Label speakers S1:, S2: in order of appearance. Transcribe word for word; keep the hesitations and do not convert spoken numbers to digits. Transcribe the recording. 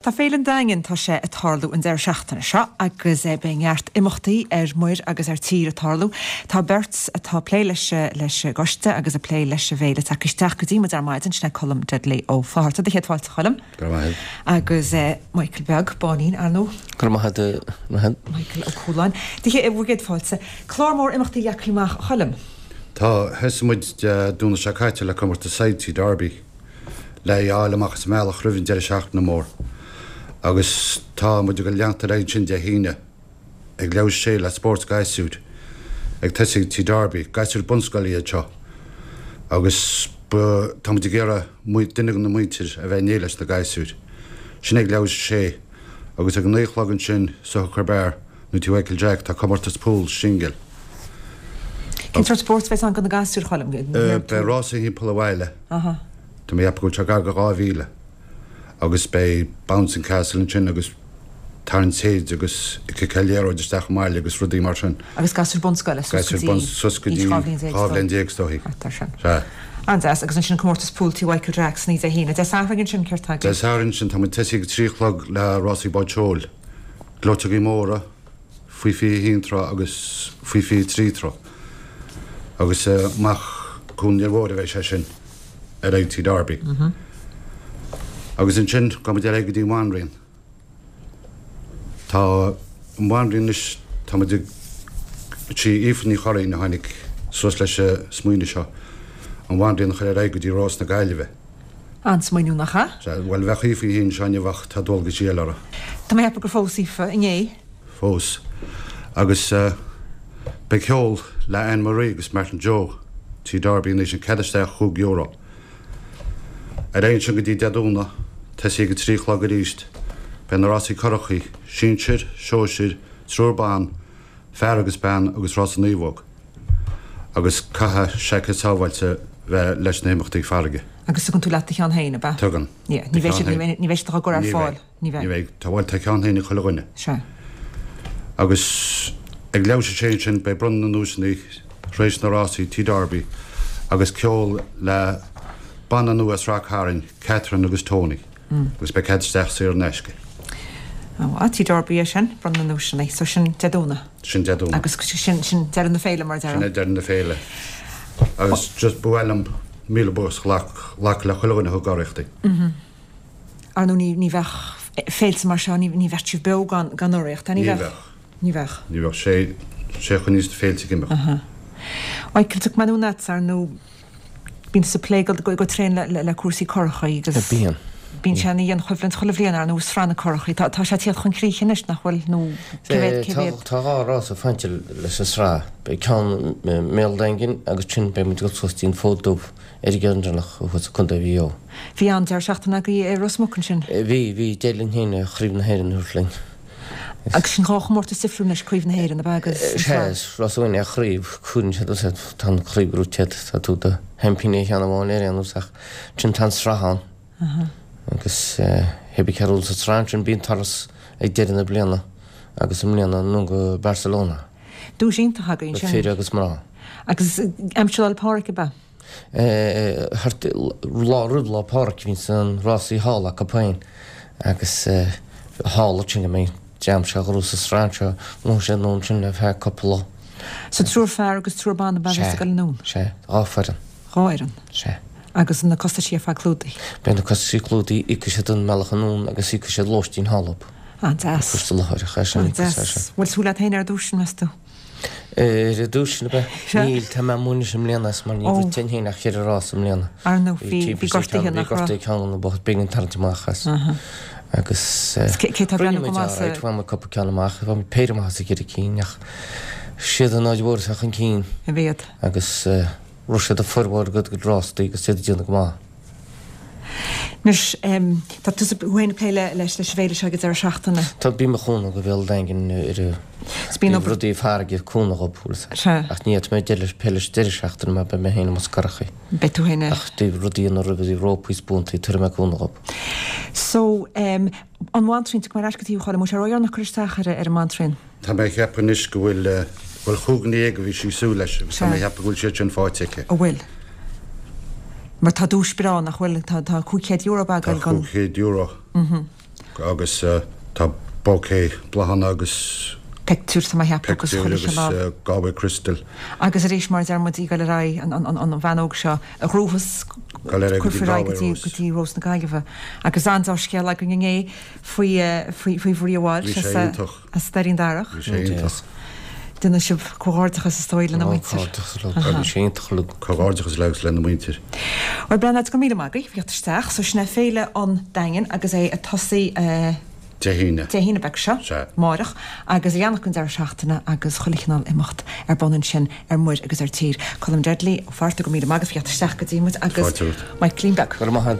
S1: Tá Féile an Daingin, tá sé ag tarlú an deireadh seachtaine seo agus beidh neart imeachtaí ar muir agus ar tír ag tarlú. Tá beirt atá ag plé leis leis an gcoiste agus ag plé leis an bhféile tagtha isteach go dtí muid ar maidin, sin é Colm Dudley Ó Fátharta. Do chéad fáilte, a Choilm.
S2: Go raibh maith agat.
S1: Agus Michael Beag, Báinín, ar ndóigh.
S3: Go raibh maith agat.
S1: Michael Ó Cualáin. Do chéad, bhur gcéad fáilte. Clár mór imeachtaí leagtha amach, a Choilm.
S2: Tá, thosaigh muid Dé Domhnaigh seo caite le comórtas said Tigh Darby. Le é a fháil amach as an mbealach roimh an deireadh seachtaine mór. Agus tá muid ag leanacht ar aghaidh ansin Dé hAoine ag leathuair théis a sé le spórt gasúir ag tosaí ag Tigh Darby, gasúir bunscoile iad seo. Agus ba, tá muid ag iarraidh duine de na muintir a bheith in éindí leis na gasúir. Sin ag leathuair théis a sé. Agus ag a naoi a chlog ansin sa Hooker Bar nó Tigh Mhichael Jack tá comórtas pool singil.
S1: Cén sórt spóirt a bheas ann do na gasúir, a Choilm?
S2: Beidh rása thimpeall an bhaile. Tá mé ag ceapadh go bhfuil sé gar do dhá mhíle. Agus beidh bouncing castle ansin agus tarraingt téid agus ag ciceáil liathróid isteach i mbaile agus rudaí mar sin.
S1: Agus gasúir bunscoile suas go dtí
S2: suas go dtí dhá bhliain déag is dóichí.
S1: Thart ar sin.
S2: Sea.
S1: An-deas. Agus ansin comórtas pool Tigh Mhichael Jack san oíche Dé hAoine. Dé Sathairn ansin, céard tá
S2: agaibh? Dé Sathairn ansin tá muid tosaí ag a trí a chlog le rásaí báid seoil, gleoiteogaí móra, faoi fiche a haon troigh agus faoi fiche a trí troigh. Agus amach Cuan an Fhir Mhóir a bheidh sé sin ar aghaidh Tigh Darby. Agus ansin gabhfaidh muid ar aghaidh go dtí an Bhanríon. Tá an Bhanríon anois, tá muid ag, sí Aoife Ní Churraoin a tháinig suas leis an smaoineamh seo, an Bhanríon a chur ar aghaidh go dtí Rás na Gaillimhe.
S1: An-smaoineamh, nach ea?
S2: Sea, bhuel bheadh Aoife í féin anseo inniu ach tá dualgaisí eile uirthi.
S1: Tá mé ag ceapadh gur phós Aoife inné.
S2: Phós. Agus beidh ceol le Anne Marie agus Martin Joe, Tigh Darby anois, an cead isteach chúig euro. Ar aghaidh ansin go dtí Dé Domhnaigh, tosaí ag a trí a chlog arís, beidh na rásaí curachaí, sinsir, sóisir, triúr ban, fear agus bean agus rása naomhóg. Agus caithfidh seaicéad sábháilte bheith leis na himeachtaí farraige.
S1: Agus tugann tú leat do cheann féin, ab ea?
S2: Tugann.
S1: Yeah, ní bheidh siad, ní bheidh siad á gcur ar fáil.
S2: Ní bheidh. Ní bheidh. Tá, bhuel, tá ceann féin ag chuile dhuine.
S1: Sea.
S2: Agus ag leathuair théis a sé ansin beidh bronnadh na nduaiseanna tar éis na rásaí Tigh Darby agus ceol le banna nua as Ráth Cairn, Catherine agus Tony. Agus beidh cead isteach saor in aisce.
S1: Ó, Tigh Darby é sin, bronnadh na nduaiseanna. So sin Dé Domhnaigh.
S2: Sin Dé Domhnaigh.
S1: Agus sin, sin deireadh na féile mar a déarfá.
S2: Sin é deireadh na féile. Agus just ba mhaith liom míle buíochas a ghlacadh le chuile dhuine a thug urraíochtaí.
S1: Ar ndóigh ní, ní bheadh féilte mar seo, ní, ní bheadh sibh beo gan, gan urraíocht, ní
S2: Ní
S1: bheadh?
S2: bheadh.
S1: Ní bheadh.
S2: Ní bheadh. Sé, sé a choinníos na féilte ag imeacht.
S1: Aha. Michael, tiocfaidh mé anonn agatsa, ar ndóigh bíonn tusa ag plé go, go tréan le, le, le cúrsaí curachaí agus
S3: Bíonn.
S1: bíonn sé ina dhianchoimhlint chuile bhliain, ar ndóigh, sraith na curachaí. Tá, tá sé ag tíocht chun críche anois, nach bhfuil, nó cé mhéad, cé
S3: Tá,
S1: mhéad?
S3: tá dhá rás ag fanacht leis an sraith. Beidh ceann i mBéal Daingin agus ansin beidh muid ag dul suas dtí an Fód Dubh ar an gCeann thuas i Contae Mhaigh Eo.
S1: Bhí an-deireadh seachtaine agaibh i Ros Muc ansin.
S3: Bhí, bhí, d'éirigh linn féin Craobh na hÉireann a thabhairt linn.
S1: Agus sin dhá chomórtas difriúil anois, Craobh na hÉireann, ab ea, agus an
S3: Sea,
S1: tSraith.
S3: is rás amháin é craobh, cuireann siad os tá an chraobh gnóite agat, tá tú do sheaimpíní ar cheann amháin ar aon nós ach ansin tá an tsraith ann. Agus hé bí cé a sa tsraith ansin bíonn turas ag deireadh na bliana agus i mbliana anonn go Barcelona.
S1: Duais iontach agaibh ansin.
S3: Fir agus mná.
S1: Agus aimsir Lá 'le Pádraig, ab ea?
S3: Thart lá roimh Lá Pádraig bhíonns an rásaí thall acu féin agus thall ansin go mbeidh dream seo a ghnóthós an sraith anseo, ghnóthaigh siad anonn ansin le feadh cúpla lá.
S1: So triúr fear agus triúr ban ab ea a bheas ag dul anonn?
S3: Sea, dhá foireann.
S1: Dhá fhoireann?
S3: Sea.
S1: Agus na costaisí ar fad clúdaithe?
S3: Beidh na costaisí clúdaithe, íocfaidh siad an mbealach anonn agus íocfaidh siad lóistín thall dhób.
S1: An-deas.
S3: Cúrsa láithreach é sin.
S1: An-deas. Bhfuil súil agat féin ar duais, meas tú?
S3: Ar an duais sin ab ea?
S1: Sea.
S3: Níl, tá mé amuigh anois i mbliana as mar ní
S1: Ó.
S3: rith mé féin ach cheithre rás i mbliana.
S1: Ar ndóigh, bhí,
S3: Bhí
S1: bhí gortaithe
S3: bhí
S1: nach raibh?
S3: gortaithe ceann na bocht b'éigean tarraingt amach as.
S1: Aha.
S3: Agus
S1: Cé, cé tá ag
S3: rinne
S1: breathnú go
S3: muid
S1: maith sa.
S3: alright, bhain muid cúpla ceann amach, bhain muid péire amach as an gceithre cinn ach siad an Aird Mhór atá chun cinn.
S1: A mhéad.
S3: Agus rith siad a formhór go gcuid rástaí agus iad ag déanamh go maith.
S1: Anois, tá tusa féin ag plé leis an bhféile seo ag an deireadh seachtaine.
S3: Tá, bím ag cúnamh do Bhéal Daingin ar
S1: Bíonn obair.
S3: rudaí farraige ag cúnamh dhób, bhfuil fhios agat.
S1: Sea.
S3: Ach ní fhéadfaidh mé deireadh plé leis deireadh seachtaine mar beidh mé féin amuigh sna curachaí.
S1: Beidh tú féin.
S3: Ach dtaobh rudaí ina roimh a rópaí is buantaí, tabharfaidh mé cúnamh dhób.
S1: So, an Bhantraíon, tiocfaidh mé ar ais go dtí thú a Choilm, an bhfuil sé ródheireanach cur isteach ar an mBantraíon?
S2: Tá mé ag ceapadh anois go bhfuil, bhuel chúig dhuine dhéag a bhí sí ag súil leis agus tá mé ag ceapadh go bhfuil siad sin faighte aici.
S1: An bhfuil? Mar tá duais breá, nach bhfuil? Tá, tá cúig chéad euro ag
S2: Tá
S1: dul don.
S2: cúig chéad euro Agus tá bouquet bláthanna agus
S1: pictiúr tá mé a cheapadh agus
S2: pictiúr
S1: chuile
S2: agus
S1: chineál.
S2: Galway Crystal.
S1: Agus arís mar a deir muid í goil ar aghaidh an, an, an, an bhean óg seo a ghnóthas
S2: Goil ar aghaidh go dtí
S1: cuirfear ar aghaidh go
S2: Galway
S1: dtí
S2: Rose.
S1: go dtí Rós na Gaillimhe. Agus an-dea-scéal againn inné faoi eh, faoi faoi Mharia Walsh
S2: Bhí sé
S1: as, eh,
S2: iontach.
S1: as Doirín Darach.
S2: Bhí sé iontach.
S1: Déanann sibh comhghairdeachas is dóigh lena muintir.
S3: Bhí sé iontach le
S2: Comhghairdeachas le agus lena muintir.
S1: Bhuel Breandán go raibh míle maith agaibh, theacht isteach, so sin é Féile an Daingin agus é ag tosaí eh,
S2: Dé hAoine.
S1: Dé hAoine beag seo,
S2: Sea.
S1: amárach, agus ag leanacht an deireadh seachtaine agus chuile chineál imeacht ar bun ansin ar muir agus ar tír. Colm Dudley ó Fearta go raibh míle maith agat theacht isteach go dtí muid agus
S2: Fáilte romhat.
S1: Michaelín beag.
S3: Go raibh maith agat.